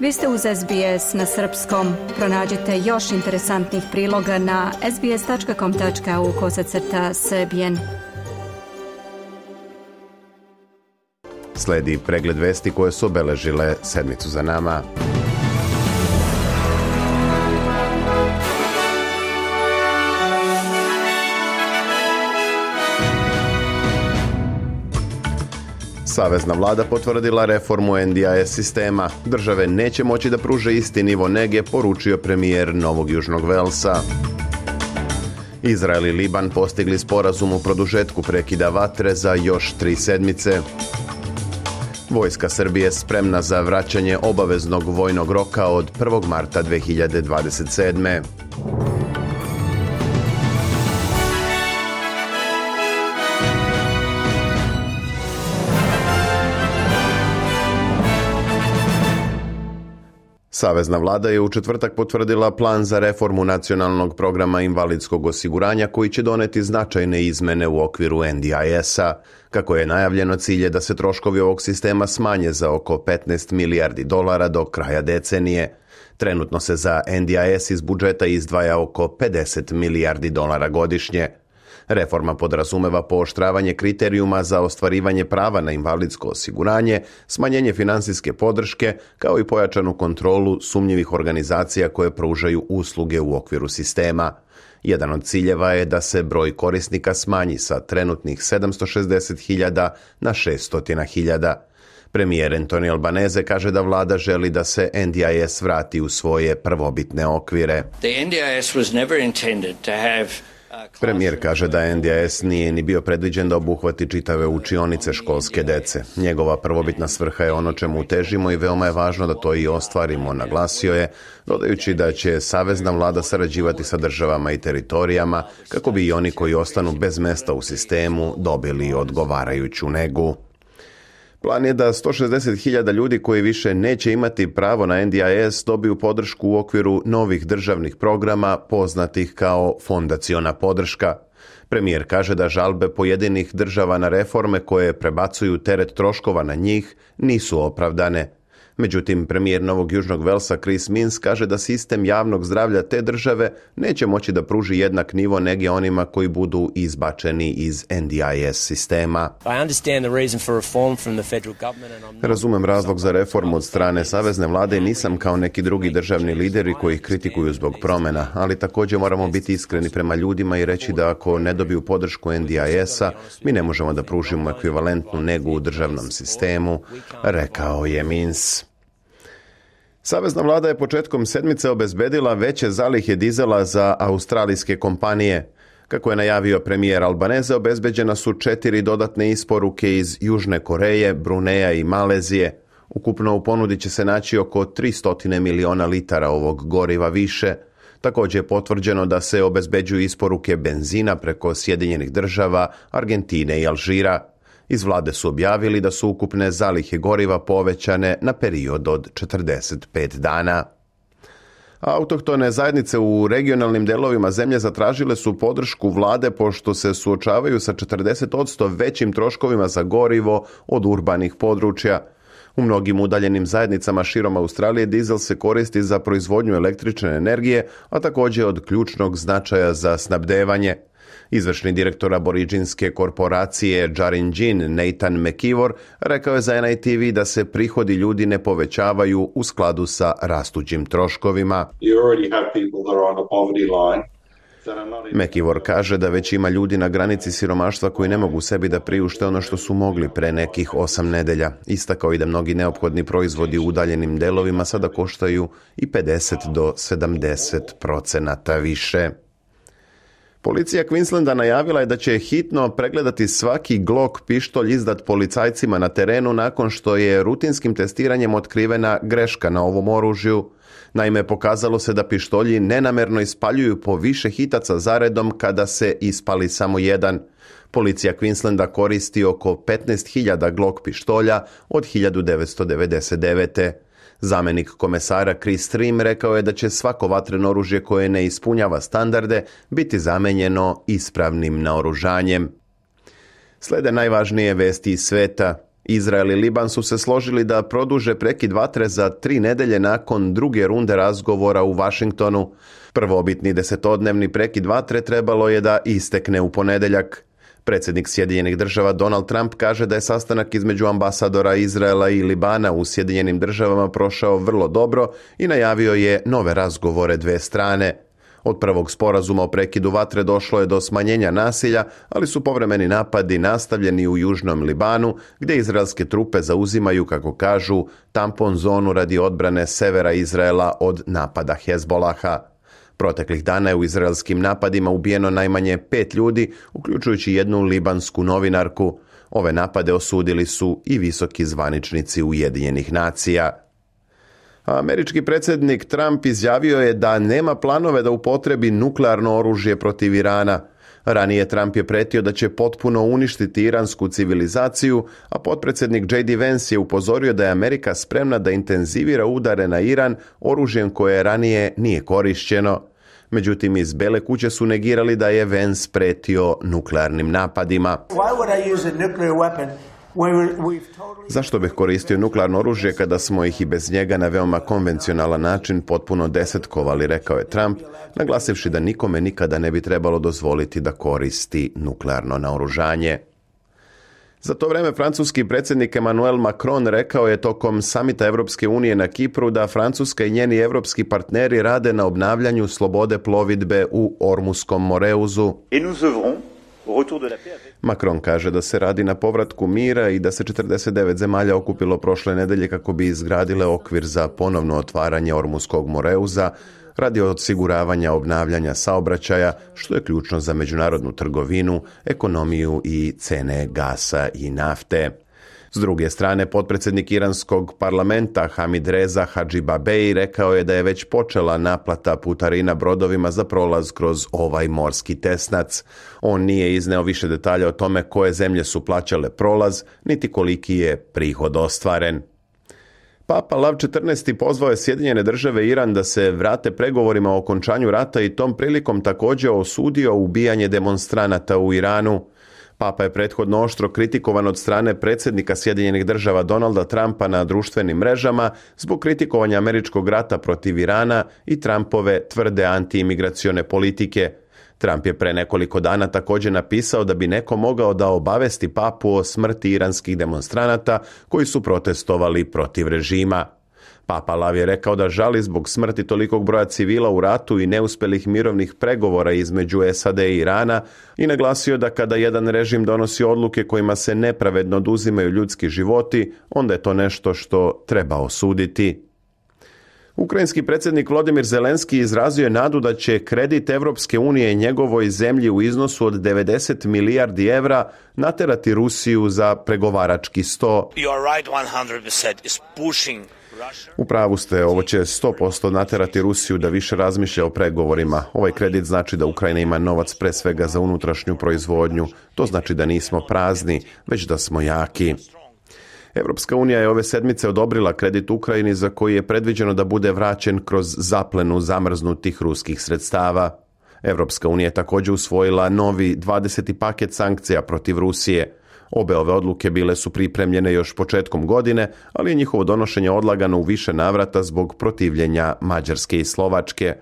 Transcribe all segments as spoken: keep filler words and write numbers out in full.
Vi ste uz S B S na srpskom. Pronađite još interesantnih priloga na sbs.com.au kosacrta srbijen. Sledi pregled vesti koje su obeležile sedmicu za nama. Savezna vlada potvrdila reformu N D I S sistema. Države neće moći da pruže isti nivo nege, poručio premijer Novog Južnog Velsa. Izrael i Liban postigli sporazum u produžetku prekida vatre za još tri sedmice. Vojska Srbije spremna za vraćanje obaveznog vojnog roka od prvog marta dve hiljade dvadeset sedme. Savezna vlada je u četvrtak potvrdila plan za reformu nacionalnog programa invalidskog osiguranja koji će doneti značajne izmene u okviru N D I S-a. Kako je najavljeno, cilj je da se troškovi ovog sistema smanje za oko petnaest milijardi dolara do kraja decenije. Trenutno se za N D I S iz budžeta izdvaja oko pedeset milijardi dolara godišnje. Reforma podrazumeva pooštravanje kriterijuma za ostvarivanje prava na invalidsko osiguranje, smanjenje finansijske podrške, kao i pojačanu kontrolu sumnjivih organizacija koje pružaju usluge u okviru sistema. Jedan od ciljeva je da se broj korisnika smanji sa trenutnih sedamsto šezdeset hiljada na šesto hiljada. Premijer Anthony Albanese kaže da vlada želi da se N D I S vrati u svoje prvobitne okvire. The N D I S was never intended to have Premijer kaže da N D I S nije ni bio predviđen da obuhvati čitave učionice školske dece. Njegova prvobitna svrha je ono čemu težimo i veoma je važno da to i ostvarimo, naglasio je, dodajući da će savezna vlada sarađivati sa državama i teritorijama kako bi i oni koji ostanu bez mesta u sistemu dobili odgovarajuću negu. Plan je da sto šezdeset hiljada ljudi koji više neće imati pravo na N D I S dobiju podršku u okviru novih državnih programa poznatih kao fondaciona podrška. Premijer kaže da žalbe pojedinih država na reforme koje prebacuju teret troškova na njih nisu opravdane. Međutim, premijer Novog Južnog Velsa Chris Minns kaže da sistem javnog zdravlja te države neće moći da pruži jednak nivo nege onima koji budu izbačeni iz N D I S sistema. Razumem razlog za reformu od strane savezne vlade i nisam kao neki drugi državni lideri koji ih kritikuju zbog promjena, ali također moramo biti iskreni prema ljudima i reći da ako ne dobiju podršku N D I S-a, mi ne možemo da pružimo ekvivalentnu negu u državnom sistemu, rekao je Minns. Savezna vlada je početkom sedmice obezbedila veće zalihe dizela za australijske kompanije. Kako je najavio premijer Albanese, obezbeđena su četiri dodatne isporuke iz Južne Koreje, Bruneja i Malezije. Ukupno u ponudi će se naći oko tristo miliona litara ovog goriva više. Također je potvrđeno da se obezbeđuju isporuke benzina preko Sjedinjenih Država, Argentine i Alžira. Iz vlade su objavili da su ukupne zalihe goriva povećane na period od četrdeset pet dana. Autohtone zajednice u regionalnim delovima zemlje zatražile su podršku vlade pošto se suočavaju sa četrdeset posto većim troškovima za gorivo od urbanih područja. U mnogim udaljenim zajednicama širom Australije dizel se koristi za proizvodnju električne energije, a također od ključnog značaja za snabdevanje. Izvršni direktor aboriđinske korporacije Djarinjin Nathan McIvor rekao je za N I T V da se prihodi ljudi ne povećavaju u skladu sa rastućim troškovima. McIvor kaže da već ima ljudi na granici siromaštva koji ne mogu sebi da priušte ono što su mogli pre nekih osam nedelja. Istakao i da mnogi neophodni proizvodi u udaljenim delovima sada koštaju i pedeset do sedamdeset procenata više. Policija Queenslanda najavila je da će hitno pregledati svaki Glock pištolj izdat policajcima na terenu nakon što je rutinskim testiranjem otkrivena greška na ovom oružju. Naime, pokazalo se da pištolji nenamerno ispaljuju po više hitaca zaredom kada se ispali samo jedan. Policija Queenslanda koristi oko petnaest hiljada Glock pištolja od hiljadu devetsto devedeset devete. Zamenik komesara Chris Stream rekao je da će svako vatreno oružje koje ne ispunjava standarde biti zamenjeno ispravnim naoružanjem. Slede najvažnije vesti iz sveta. Izrael i Liban su se složili da produže prekid vatre za tri nedelje nakon druge runde razgovora u Vašingtonu. Prvobitni desetodnevni prekid vatre trebalo je da istekne u ponedjeljak. Predsjednik Sjedinjenih država Donald Trump kaže da je sastanak između ambasadora Izraela i Libana u Sjedinjenim državama prošao vrlo dobro i najavio je nove razgovore dve strane. Od prvog sporazuma o prekidu vatre došlo je do smanjenja nasilja, ali su povremeni napadi nastavljeni u južnom Libanu, gdje izraelske trupe zauzimaju, kako kažu, tampon zonu radi odbrane severa Izraela od napada Hezbolaha. Proteklih dana je u izraelskim napadima ubijeno najmanje pet ljudi, uključujući jednu libansku novinarku. Ove napade osudili su i visoki zvaničnici Ujedinjenih nacija. Američki predsjednik Trump izjavio je da nema planove da upotrebi nuklearno oružje protiv Irana. Ranije Trump je pretio da će potpuno uništiti iransku civilizaciju, a potpredsjednik J D Vance je upozorio da je Amerika spremna da intenzivira udare na Iran oružjem koje ranije nije korišćeno. Međutim, iz Bele kuće su negirali da je Vance pretio nuklearnim napadima. Zašto bih koristio nuklearno oružje kada smo ih i bez njega na veoma konvencionalan način potpuno desetkovali, rekao je Trump, naglasivši da nikome nikada ne bi trebalo dozvoliti da koristi nuklearno naoružanje. Za to vrijeme francuski predsjednik Emmanuel Macron rekao je tokom samita Europske unije na Kipru da Francuska i njeni europski partneri rade na obnavljanju slobode plovidbe u Ormuskom Moreuzu. Macron kaže da se radi na povratku mira i da se četrdeset devet zemalja okupilo prošle nedelje kako bi izgradile okvir za ponovno otvaranje Ormuskog Moreuza radi osiguravanja obnavljanja saobraćaja, što je ključno za međunarodnu trgovinu, ekonomiju i cene gasa i nafte. S druge strane, potpredsjednik iranskog parlamenta Hamid Reza Hadžibabej rekao je da je već počela naplata putarina brodovima za prolaz kroz ovaj morski tesnac. On nije izneo više detalja o tome koje zemlje su plaćale prolaz, niti koliki je prihod ostvaren. Papa Lav četrnaesti pozvao je Sjedinjene države i Iran da se vrate pregovorima o okončanju rata i tom prilikom također osudio ubijanje demonstranata u Iranu. Papa je prethodno oštro kritikovan od strane predsjednika Sjedinjenih država Donalda Trumpa na društvenim mrežama zbog kritikovanja američkog rata protiv Irana i Trumpove tvrde antiimigracione politike. Trump je pre nekoliko dana također napisao da bi neko mogao da obavesti papu o smrti iranskih demonstranata koji su protestovali protiv režima. Papa Lav je rekao da žali zbog smrti tolikog broja civila u ratu i neuspjelih mirovnih pregovora između S A D i Irana i naglasio da kada jedan režim donosi odluke kojima se nepravedno oduzimaju ljudski životi, onda je to nešto što treba osuditi. Ukrajinski predsjednik Volodymyr Zelenski izrazio je nadu da će kredit Evropske unije njegovoj zemlji u iznosu od devedeset milijardi evra naterati Rusiju za pregovarački sto. U pravu ste, ovo će sto posto naterati Rusiju da više razmišlja o pregovorima. Ovaj kredit znači da Ukrajina ima novac pre svega za unutrašnju proizvodnju. To znači da nismo prazni, već da smo jaki. Evropska unija je ove sedmice odobrila kredit Ukrajini za koji je predviđeno da bude vraćen kroz zaplenu zamrznutih ruskih sredstava. Evropska unija je također usvojila novi dvadeseti paket sankcija protiv Rusije. Obe ove odluke bile su pripremljene još početkom godine, ali je njihovo donošenje odlagano u više navrata zbog protivljenja Mađarske i Slovačke.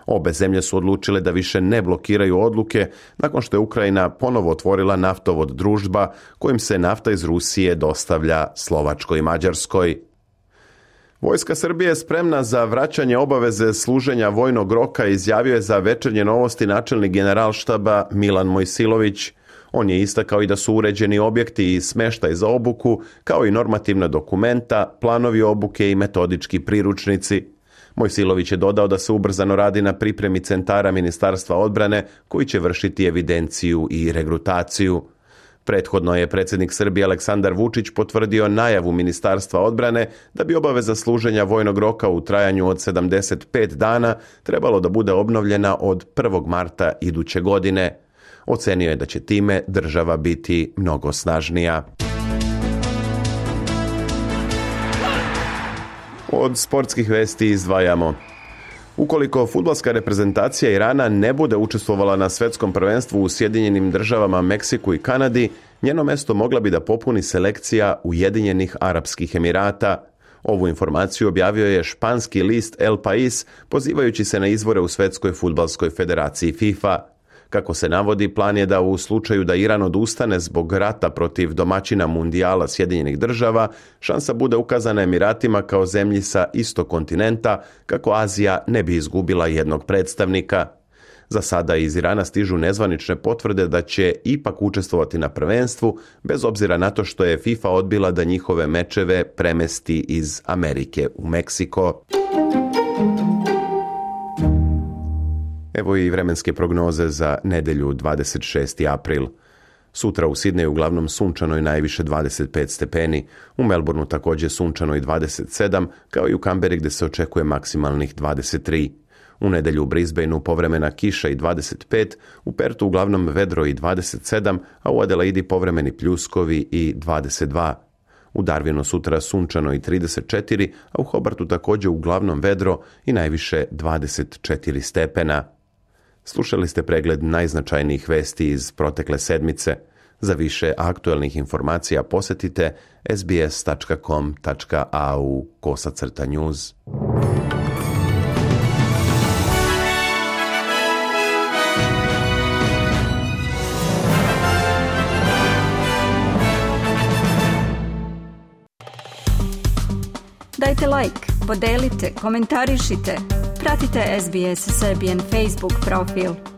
Obe zemlje su odlučile da više ne blokiraju odluke nakon što je Ukrajina ponovo otvorila naftovod Družba kojim se nafta iz Rusije dostavlja Slovačkoj i Mađarskoj. Vojska Srbije je spremna za vraćanje obaveze služenja vojnog roka, izjavio je za Večernje novosti načelnik generalštaba Milan Mojsilović. On je istakao i da su uređeni objekti i smještaj za obuku, kao i normativna dokumenta, planovi obuke i metodički priručnici. Mojsilović je dodao da se ubrzano radi na pripremi centara Ministarstva odbrane koji će vršiti evidenciju i regrutaciju. Prethodno je predsjednik Srbije Aleksandar Vučić potvrdio najavu Ministarstva odbrane da bi obaveza služenja vojnog roka u trajanju od sedamdeset pet dana trebalo da bude obnovljena od prvog marta iduće godine. Ocenio je da će time država biti mnogo snažnija. Od sportskih vesti izdvajamo. Ukoliko fudbalska reprezentacija Irana ne bude učestvovala na svjetskom prvenstvu u Sjedinjenim državama, Meksiku i Kanadi, Njeno mesto mogla bi da popuni selekcija Ujedinjenih Arapskih Emirata. Ovu informaciju objavio je španski list El País, pozivajući se na izvore u Svetskoj fudbalskoj federaciji FIFA. Kako se navodi, plan je da u slučaju da Iran odustane zbog rata protiv domaćina mundijala Sjedinjenih država, šansa bude ukazana Emiratima kao zemlji sa istog kontinenta, kako Azija ne bi izgubila jednog predstavnika. Za sada iz Irana stižu nezvanične potvrde da će ipak učestvovati na prvenstvu, bez obzira na to što je FIFA odbila da njihove mečeve premesti iz Amerike u Meksiko. Evo i vremenske prognoze za nedelju dvadeset šesti april. Sutra u Sidneju uglavnom sunčano i najviše dvadeset pet stepeni, u Melbourneu također sunčano i dvadeset sedam, kao i u Kamberi gdje se očekuje maksimalnih dvadeset tri. U nedelju u Brisbaneu povremena kiša i dvadeset pet, u Pertu uglavnom vedro i dvadeset sedam, a u Adelaidi povremeni pljuskovi i dvadeset dva. U Darwinu sutra sunčano i trideset četiri, a u Hobartu također uglavnom vedro i najviše dvadeset četiri stepena. Slušali ste pregled najznačajnijih vesti iz protekle sedmice. Za više aktualnih informacija posjetite sbs tačka com tačka a u kosacrta news. Dajte like, podelite, komentarišite. Pratite S B S Serbian Facebook profil.